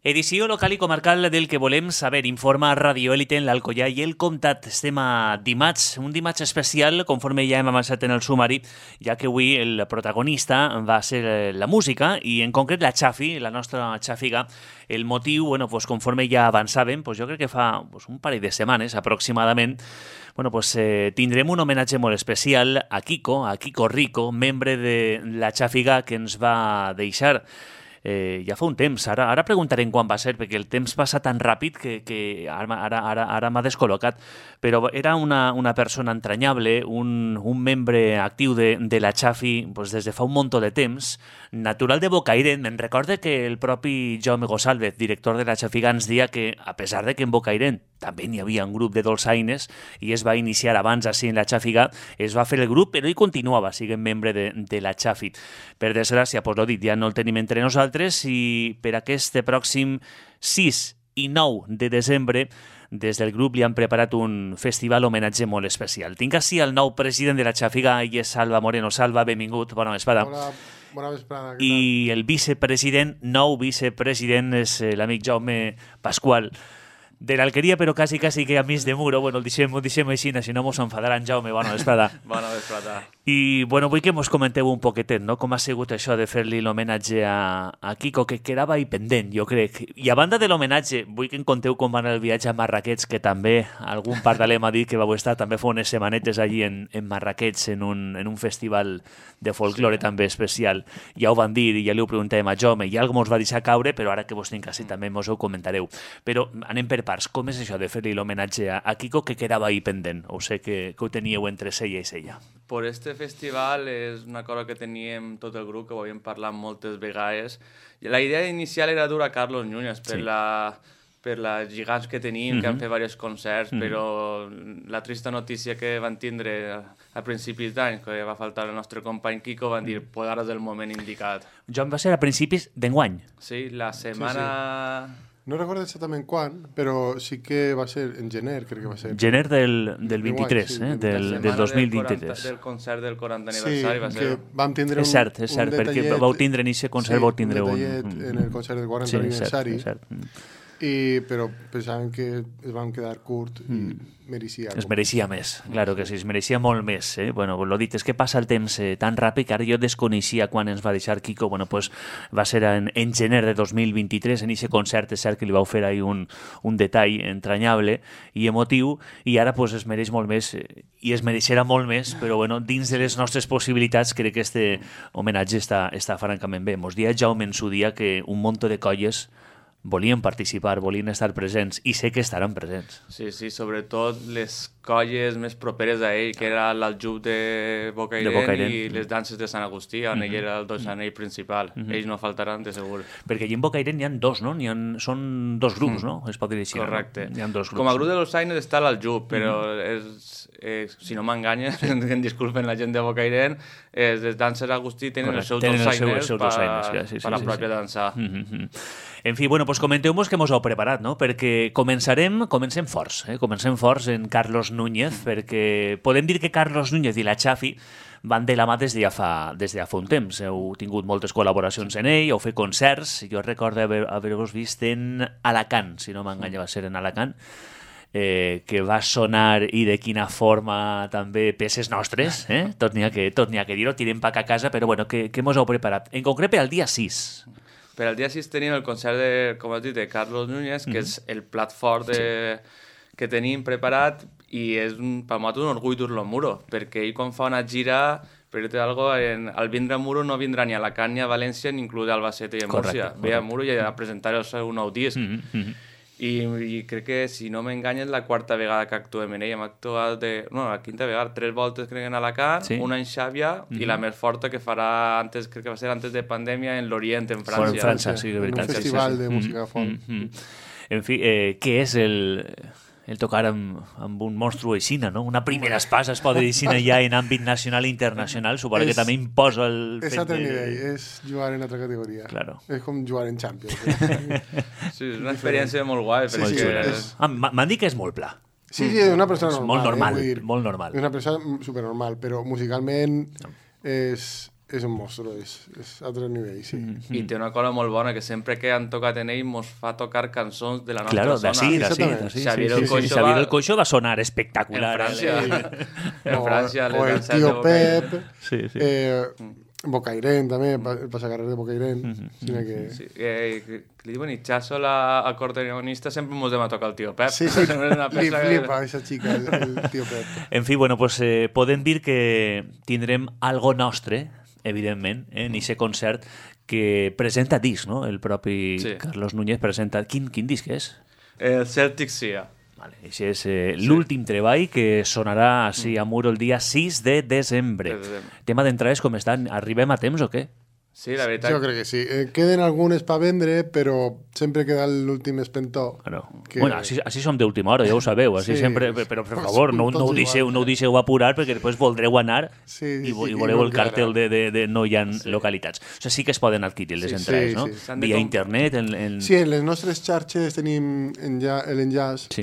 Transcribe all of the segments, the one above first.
Edició local i comarcal del que volem saber. Informa Radio Élite en l'Alcoià i el Comtat. Estem a dimarts, un dimarts especial, conforme ja hem avançat en el sumari, ja que avui el protagonista va ser la música i en concret la Xafi, la nostra xàfiga. El motiu, conforme ja avançàvem, jo crec que fa un parell de setmanes aproximadament, tindrem un homenatge molt especial a Kiko Rico, membre de la xàfiga que ens va deixar ja fa un temps. Ara preguntarem quan va ser, perquè el temps passa tan ràpid que ara m'ha descol·locat. Però era una persona entranyable, un membre actiu de la Xafi des de fa un munt de temps, natural de Bocairent. Me'n recorde que el propi Jaume Gonçalves, director de la Xafiga, ens deia que, a pesar de que en Bocairent també n'hi havia un grup de dolçaines i es va iniciar abans així en la Xàfiga, es va fer el grup, però ell continuava sent membre de la Xafi. Per desgràcia, l'ho dit, ja no el tenim entre nosaltres i per aquest pròxim 6 i 9 de desembre des del grup li han preparat un festival homenatge molt especial. Tinc així el nou president de la Xàfiga, ell és Salva Moreno. Salva, benvingut, bona vesprada. Bona vesprada. I el nou vicepresident és l'amic Jaume Pasqual, de l'Alqueria, però quasi que amics de Muro. El deixem així, si no mos enfadaran. Jaume, bona vesprada. Bona vesprada. I, vull que mos comenteu un poquetet, no?, com ha sigut això de fer-li l'homenatge a Kiko, que quedava ahí pendent, jo crec. I a banda de l'homenatge, vull que em conteu com va anar el viatge a Marrakech, que també algun pardaler m'ha dit que vau estar també fa unes setmanetes allí en Marrakech, en un festival de folklore també especial. Ja ho van dir i ja li ho preguntàvem a Jaume, i algo mos va deixar caure, però ara que vos tinc així també mos ho comentareu. Però anem per parts. Com és això de fer-li l'homenatge a Kiko, que quedava ahí pendent? Ho sé que ho teníeu entre sella i sella. Per este festival és una cosa que teníem tot el grup, que ho havíem parlat moltes vegades. La idea inicial era dur a Carlos Núñez per les gegants que tenim, que han fet diversos concerts, però la trista notícia que van tindre a principis d'any, que va faltar el nostre company Kiko, van dir, ara és el moment indicat. Joan, va ser a principis d'enguany. Sí, la setmana... Sí. No recordo exactament quan, però sí que va ser en gener, crec que va ser. Gener del 23, sí, del 2023. Del concert del 40 aniversari va ser... Sí, que vam tindre és cert, perquè vau tindre en aquest concert, vau tindre un detallet en el concert del 40 aniversari. És cert. Però pensàvem que es van quedar curt i mereixia. Es mereixia més, claro que sí, es mereixia molt més. L'ho dit, és que passa el temps tan ràpid que ara jo desconeixia quan ens va deixar Kiko. Va ser en gener de 2023, en aquest concert, és cert que li vau fer ahí un detall entranyable i emotiu, i ara es mereix molt més, i es mereixerà molt més, però dins de les nostres possibilitats crec que este homenatge està francament bé. Mos dia Jaume en su dia que un munt de colles volien participar, volien estar presents, i sé que estaran presents. Sí, sobretot les colles més properes a ell, que era l'Aljub de Bocairent i les danses de Sant Agustí, on ell era el dolçaner principal. Ells no faltaran, de segur. Perquè allí en Bocairent n'hi ha dos, no? Són dos grups, no? Es pot dir així. Correcte. N'hi ha dos grups. Com a grup de dolçaines està l'Aljub, però si no m'enganya, en disculpen la gent de Bocairent, les danses d'Agustí tenen els seus dolçainers per la pròpia dansa. En fi, comenteu-vos que mos heu preparat, no? Perquè comencem forts, comencem forts en Carlos Núñez, perquè podem dir que Carlos Núñez i la Xafi van de la mà des de ja fa un temps. Heu tingut moltes col·laboracions en ell, heu fet concerts. Jo recordo haver-vos vist en Alacant, si no m'enganya, va ser en Alacant, que va sonar, i de quina forma, també peces nostres, tot n'hi ha que dir-ho, tirem pac a casa, però què mos heu preparat? En concret per al dia 6. Per al dia 6 tenim el concert, com has dit, de Carlos Núñez, que és el plat fort que tenim preparat, i és per nosaltres un orgull dur-lo a Muro, perquè ell quan fa una gira, per dir-te alguna cosa, al vindre a Muro no vindrà ni a Alacant ni a València, ni inclús a Albacete i a Múrcia. Ve a Muro i a presentar el seu nou disc. I crec que, si no m'enganya, és la quarta vegada que actuem en ell. Hem actuat la quinta vegada, 3 voltes crec en Alacant, una en Xàbia, i la més forta que farà crec que va ser antes de pandèmia, en l'Orient, en França. En França, sí, de veritat. Un festival de música folk. En fi, què és el tocar amb un monstru aixina, no? Una primera espasa, es pot dir aixina, ja en àmbit nacional i internacional, suposo que també imposa el fet de... És altre nivell, és jugar en altra categoria. Claro. És com jugar en Champions. Sí, és una experiència molt guai. M'han dit que és molt pla. Sí, és una persona normal. Molt normal. És una persona supernormal, però musicalment és és un monstru, és altre nivell, sí. I té una cosa molt bona, que sempre que han tocat en ell mos fa tocar cançons de la nostra Claro, zona. d'ací. Xavier el Coixo Xavier va- el Coixo va sonar espectacular. En França, en França, o les el danses de Tío Bocairent. Pep, Sí. Bocairent també, el passacarrer de Bocairent, sinó que... Sí, que li diuen Itxaso, l'acordeonista, sempre mos dem a tocar el Tio Pep. Sí, Sempre és una li peça que- flipa esa chica, el Tío Pep. En fi, bueno, pues, podem dir que tindrem algo nostre, evidentment, en aquest concert que presenta disc, no? El propi Sí. Carlos Núñez presenta... Quin disc és? El Celtic Sea. Vale, això és l'últim treball que sonarà així a Muro el dia 6 de desembre. De desembre. Tema d'entrades com estan? Arribem a temps o què? Sí, la veritat. Jo crec que sí. Queden algunes per vendre, però sempre queda l'últim espentó. Bueno, Que- bueno així som d'última hora, ja ho sabeu. Així Sí, sempre, sí. però per favor, no ho Tots deixeu, igual. no ho deixeu apurar perquè després voldreu anar Sí, i sí, voleu no el cartel encara. de no hi ha localitats. O sigui, sí que es poden adquirir les Sí, entrades, sí, no? sí. S'han de Via com- internet, Sí, en les nostres xarxes tenim l'enllaç Sí.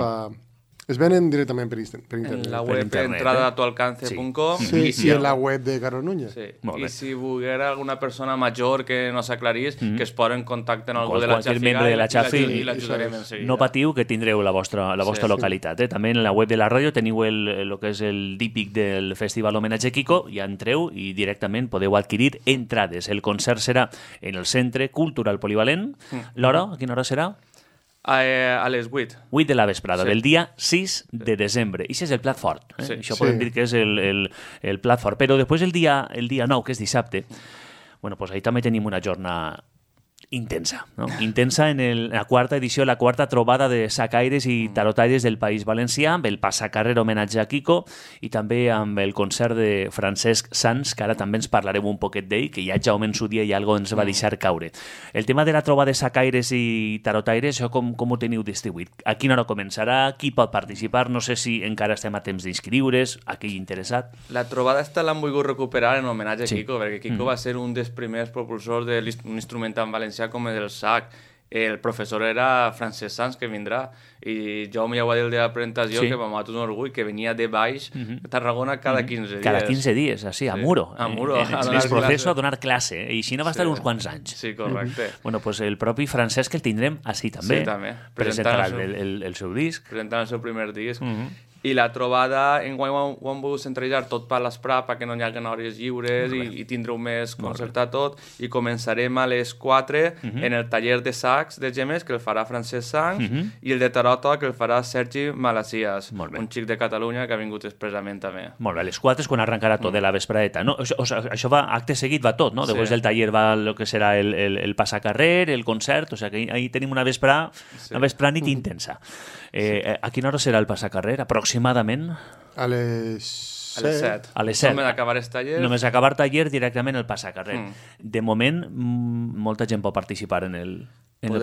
Es venen directament per internet. En la per web internet, entradatualcance.com Sí, i en la web de Carlos Núñez. Sí. Molt bé. I si volguera alguna persona major que no s'aclarís, que es posa en contacte amb algú de la qualsevol Xafiga membre de la Xafi i l'ajudarem en seguida. no patiu que tindreu la vostra Sí. localitat. També en la web de la ràdio teniu el que és el dípic del Festival Homenatge Kiko, ja entreu i directament podeu adquirir entrades. El concert serà en el Centre Cultural Polivalent. L'hora, a quina hora serà? A les 8. 8 de la vesprada, Sí. del dia 6 de desembre. I això és el plat fort. Sí. Això Sí. podem dir que és el plat fort. Però després el dia 9, que és dissabte, bueno, pues ahí també tenim una jornada intensa, no? Intensa en la quarta edició, la quarta trobada de sacaires i tarotaires del País Valencià, amb el passacarrer homenatge a Kiko i també amb el concert de Francesc Sans, que ara també ens parlarem un poquet d'ell, que ja Jaume en su dia i algo ens va deixar caure. El tema de la trobada de sacaires i tarotaires, això com ho teniu distribuït? A quina hora començarà? Qui pot participar? No sé si encara estem a temps d'inscriure's, aquell interessat. La trobada esta l'han volgut recuperar en homenatge a Sí. Kiko, perquè Kiko va ser un dels primers propulsors d'un instrument en valencià com el sac. El professor era Francesc Sans, que vindrà, i Jaume ja ho va dir el dia de la presentació, Sí. que m'ha matat un orgull, que venia de baix a Tarragona cada 15 dies. Cada 15 dies, així, a Sí. Muro. A Muro, a En donar el proceso classe. a donar classe. I així no va estar Sí. uns quants anys. Sí, correcte. Bueno, pues el propi Francesc el tindrem així també. Sí, també. Presentarà Presentant el seu disc. Presentant el seu primer disc. I la trobada, enguany ho han volgut centralitzar tot per l'esprà, perquè no hi hagi hores lliures i tindreu més concertat tot. I començarem a les 4 en el taller de sacs de Gemes, que el farà Francesc Sans, i el de Tarota, que el farà Sergi Malassias, Molt bé. un xic de Catalunya que ha vingut expressament també. Molt bé, a les 4 és quan arrencarà tot de la vesprada. No? Això va, acte seguit va tot, no? Sí. Després del taller va el que serà el passacarrer, el concert, o sigui que ahí tenim una vesprada-nit intensa. A quina hora serà el passacarrer, aproximadament? A les A les 7. A les 7. Només acabar el taller. Només acabar taller directament el passacarrer. De moment, molta gent pot participar en el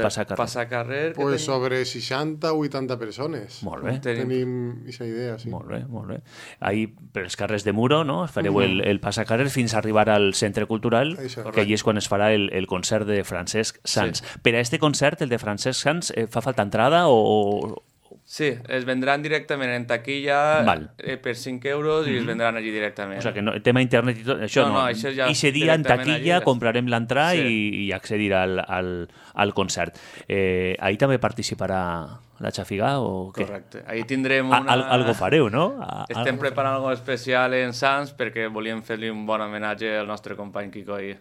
passacarrer. Passacarrer. que Pues tenim- sobre 60 o 80 persones. Molt bé. Tenim aquesta idea, sí. Molt bé, molt bé. Ahí, per els carrers de Muro, no? Fareu el passacarrer fins a arribar al Centre Cultural, Això. que allí és quan es farà el concert de Francesc Sans. Per a este concert, el de Francesc Sans, fa falta entrada o... Sí, es vendran directament en taquilla Val. Per 5 euros i es vendran allí directament. O sigui, que no, el tema internet i tot, això No, no. no, això ja Ixe dia en directament taquilla allí. comprarem l'entrada Sí. i accedir al concert. Ahí també participarà la Xafiga o què? Correcte. Ahí tindrem A- una... Algo fareu, no? Estem preparant algo especial en Sans perquè volíem fer-li un bon homenatge al nostre company Kiko ahir.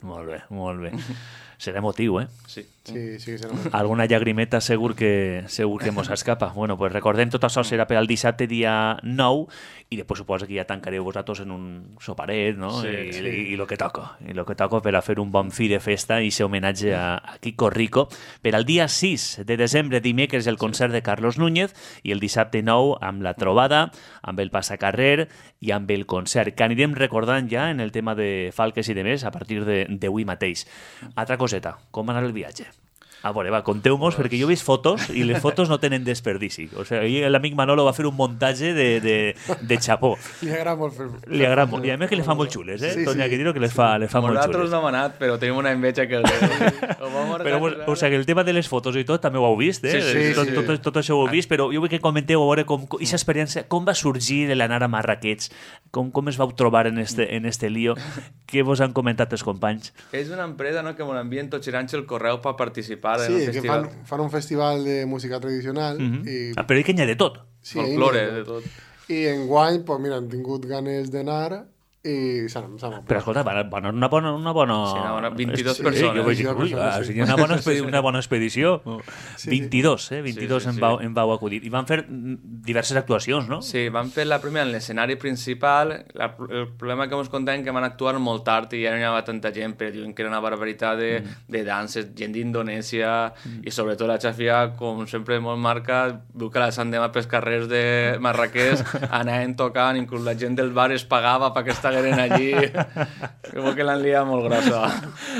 Molt bé, molt bé. Serà emotiu, eh? Sí. Sí, sí que serà. Alguna llagrimeta segur que mos escapa. Bueno, pues recordem, tot això serà per al dissabte dia 9 i després suposo que ja tancareu vosaltres en un soparet, no? Sí, I lo que toca. I lo que toca per a fer un bon fi de festa i ser homenatge a Kiko Rico. Per al dia 6 de desembre, dimecres, el concert de Carlos Núñez i el dissabte 9 amb la trobada, amb el passacarrer i amb el concert, que anirem recordant ja en el tema de Falques i de més a partir d'avui mateix. Altra coseta, com anar el viatge? A veure, va, conteu-mos, perquè jo he vist fotos i les fotos no tenen desperdici. O sigui, l'amic Manolo va fer un muntatge de xapó. Li agrada molt fer... Li agrada molt. I a més que les fa molt xules, eh? Sí, Toni, sí. que dir-ho, que les fa molt xules. Nosaltres no hem anat, però tenim una enveja que... Però, o sigui, el tema de les fotos i tot també ho heu vist, eh? Sí. Tot això ho heu vist, però jo vull que comenteu a veure aquesta experiència, com va sorgir l'anar a Marrakech, com es vau trobar en este lío, què vos han comentat els companys? És una empresa, no?, que m'ho envien tots girant el correu per participar en Sí, el que festival. fan un festival de música tradicional. Però que n'hi ha de tot. Sí, Folklore, de tot. I enguany, pues, mira, han tingut ganes d'anar i s'han Però escolta, van una bona... Sí, una 22 Sí, persones. jo vaig dir, ui, Sí. una bona expedició. 22, 22 Sí. en vau acudir. I van fer diverses actuacions, no? Sí, van fer la primera en l'escenari principal. El problema que ens contem que van actuar molt tard i ja no hi havia tanta gent, però diuen que era una barbaritat de danses, gent d'Indonèsia i sobretot la Xafia, com sempre molt marca, diu que la Sant Demà pels carrers de Marrakech anaven tocant, inclús la gent del bar es pagava perquè estigueren allí. Crec que l'han liat molt grossa.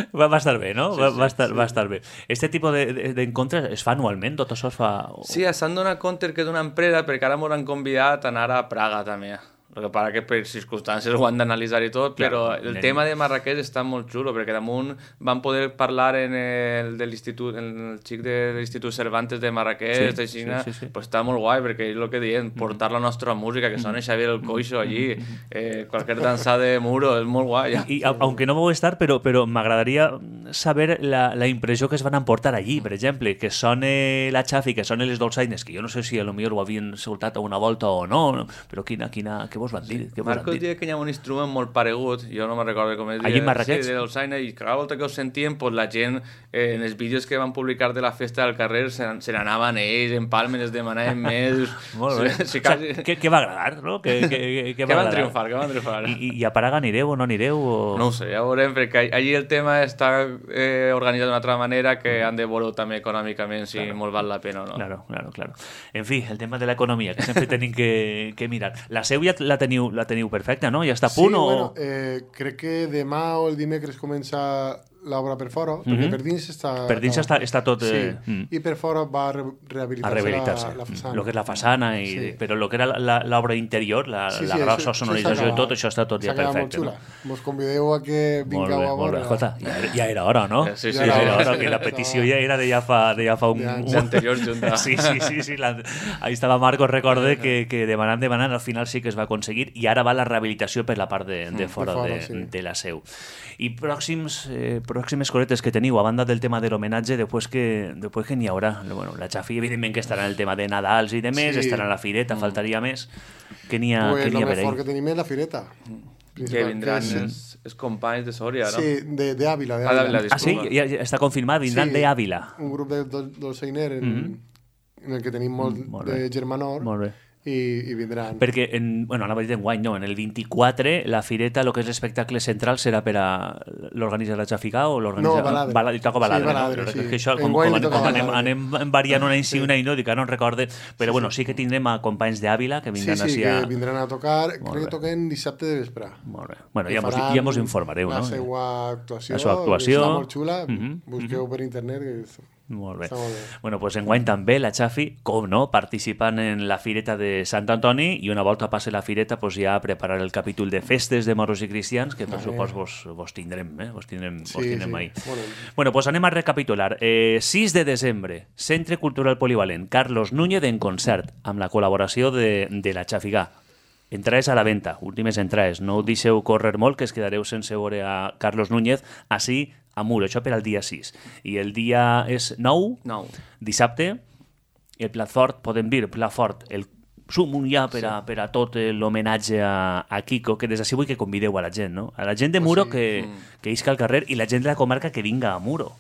Va estar bé, no? Sí, Va estar bé. Este tipus d'encontres es fa anualment? Tot això es fa... Sí, s'han donat compte que d'una empresa, perquè ara m'han convidat a anar a Praga també. El que passa que per circumstàncies ho han d'analitzar i tot, però el tema de Marrakech està molt xulo, perquè damunt van poder parlar en el xic de l'Institut Cervantes de Marrakech, de Xina, pues està molt guai, perquè és el que diem, portar la nostra música, que sona Xavier el Coixo allí, qualsevol dansa de muro, és molt guai. I aunque no vau estar, però m'agradaria saber la impressió que es van emportar allí, per exemple, que sone la Xafi, que sone les dolçaines, que jo no sé si potser ho havien escoltat a una volta o no, però què vos van dir? Marcos diu que hi ha un instrument molt paregut, jo no me'n recordo com es diu. Allí en Marrakech? Sí, de dolçaina, i cada volta que ho sentíem, pues, la gent, en els vídeos que van publicar de la festa del carrer, se n'anaven ells, en palmes, es demanaven més... Molt bé. Sí, quasi... Què va agradar, no? Què van triomfar. I a Praga anireu o no anireu? O... No ho sé, ja veurem, perquè allí el tema està organitzat d'una altra manera que han de veure també econòmicament si molt val la pena o no. Claro. En fi, el tema de l'economia, que sempre tenim que mirar. La seu ja la teniu perfecta, no? Ja està a punt sí, o...? Bueno, crec que demà o el dimecres comença l'obra per fora, perquè per dins està... Per dins està tot... I per fora va rehabilitar-se la façana. El que és la façana, però el que era l'obra interior, la grossa sonorització i tot, això està tot ja perfecte. Molt xula. Mos convideu a que vingueu a veure. Molt bé, escolta, ja era hora, no? Sí, ja era hora, que la petició ja era de ja fa un... L'anterior junta. Sí. Ahí estava Marcos, recorde que demanant, al final sí que es va aconseguir i ara va la rehabilitació per la part de fora de la seu. I pròximes cosetes que teniu, a banda del tema de l'homenatge, després que n'hi haurà. Bueno, la Xafi, evidentment, que estarà en el tema de Nadals i de més, estarà en la fireta, faltaria més. Què n'hi ha per ahí? Lo mejor que tenim és la fireta. Que vindran els companys de Sòria, no? Sí, d'Àvila. Ah, sí? Ja està confirmat, vindran d'Àvila. Un grup de dolçainer en el que tenim molt de germanor. Molt bé. I vindran. Perquè, anava a dir enguany, no, en el 24 la fireta, el que és l'espectacle central, serà per a l'organitza la Xafigà o l'organitza... No, Baladre. Toca Baladre, Baladre, no? Que això, com anem variant una i una i no, dic, no en recorde, però bueno, sí que tindrem a companys d'Àvila que vindran Sí, que vindran a tocar, crec que toquen dissabte de vespre. Molt bé. Bueno, ja mos informareu, no? La seva actuació. Està molt xula, busqueu per internet, que molt bé. Bueno, pues enguany també la Xafi, com no, participant en la fireta de Sant Antoni i una volta passe la fireta pues ja a preparar el capítol de festes de moros i cristians que per supost vos tindrem, vos tindrem ahí. Bueno, pues anem a recapitular. 6 de desembre, Centre Cultural Polivalent, Carlos Núñez en concert, amb la col·laboració de la Xafigà. Entrades a la venda, últimes entrades. No ho deixeu córrer molt, que es quedareu sense veure a Carlos Núñez així a Muro, això per al dia 6. I el dia és 9, dissabte, el plat fort, podem dir, plat fort, el sumum ja per a tot l'homenatge a Kiko, que des d'ací vull que convideu a la gent, no? A la gent de Muro que isca al carrer i la gent de la comarca que vinga a Muro.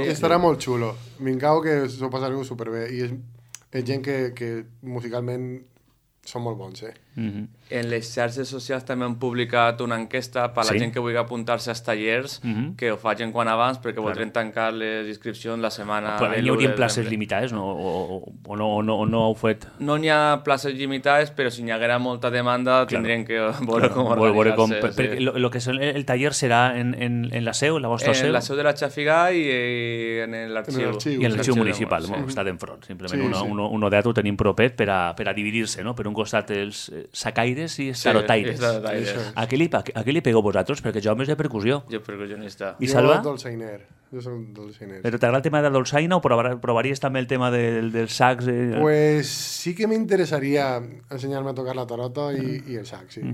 Estarà molt xulo. Vingueu que s'ho passareu superbé. I és gent que musicalment són molt bons, En les xarxes socials també han publicat una enquesta per a la gent que vulgui apuntar-se als tallers, que ho facin quan abans, perquè voldrem tancar les inscripcions la setmana de l'1 de desembre. Però hi haurien places limitades, no? O no ho fet? No n'hi ha places limitades, però si n'hi haguera molta demanda tindrien que veure com organitzar-se. Lo que és el taller serà en la seu, en la vostra seu? En la seu de la Xàfiga i en l'arxiu. I en l'arxiu municipal, està d'enfront. Simplement un odet ho tenim propet per a dividir-se, no? Per un costat els sacaires i tarotaires. A què li pegueu vosaltres? Perquè jo més de percussió. Jo percussionista. I Salva? Jo dolçainer. Però t'agrada el tema de la dolçaina o provaries també el tema dels sacs? Pues sí que m'interessaria ensenyar-me a tocar la tarota i el sac, sí.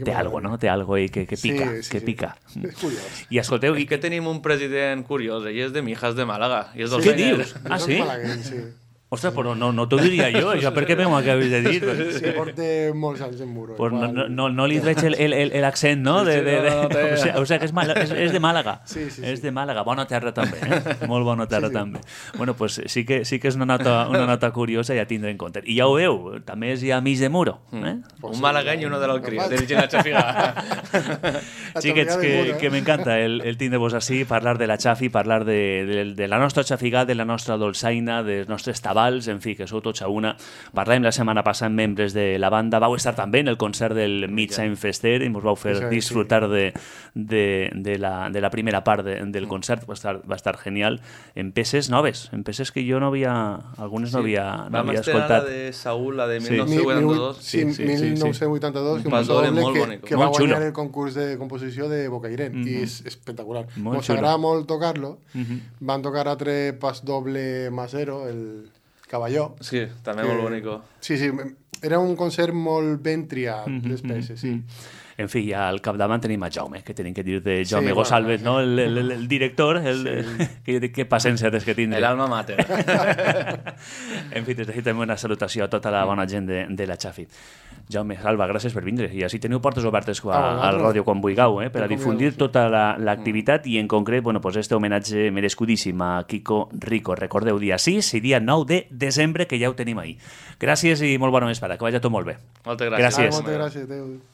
Té algo, no? Té algo ahí que pica, que pica. És curiós. I escolteu... I que tenim un president curiós, ell és de Mijas de Màlaga. Què dius? Ah, sí? Sí. Ostres, però no t'ho diria jo, això per què m'ho acabes de dir? Sí, porta molts anys en muro. Pues no li veig l'accent, no? O sigui que és de Màlaga. Sí. És de Màlaga, bona terra també, molt bona terra també. Bueno, pues sí que és una nota curiosa i a tindre en compte. I ja ho veu, també és ja mig de muro. Un malagueny i uno de l'Alcria, dirigint a Xàfiga. Xiquets, que m'encanta el tindre-vos així, parlar de la Xafi, parlar de la nostra xafiga, de la nostra dolçaina, dels nostres tabals, en fi, que sou tots a una. Parlàvem la setmana passada amb membres de la banda, vau estar també en el concert del Midtime Fester i ens vau fer disfrutar de la primera part del concert, va estar genial, en peces noves, en peces que jo algunes no havia escoltat. Vam estrenar la de Saúl, la de 1982. Sí, 1982, que va guanyar el concurs de composició de Bocairent, i és espectacular. Ens agrada molt tocar-lo. Van tocar altre pas doble Masero, el Cavalló. Sí, també molt bonic. Sí, era un concert molt ben triat, les peces, sí. En fi, ja al capdavant tenim a Jaume, que tenim que dir de Jaume Gosalves, no? El director, que paciència des que tindre. El alma mater. En fi, des d'aquí també una salutació a tota la bona gent de la Xafi. Jaume, Salva, gràcies per vindre. I així teniu portes obertes a la ràdio quan vulgueu, per a difundir tota l'activitat i en concret, pues este homenatge merescudíssim a Kiko Rico. Recordeu, dia 6 i dia 9 de desembre, que ja ho tenim ahí. Gràcies i molt bona vesprada. Que vagi tot molt bé. Moltes gràcies. Moltes gràcies.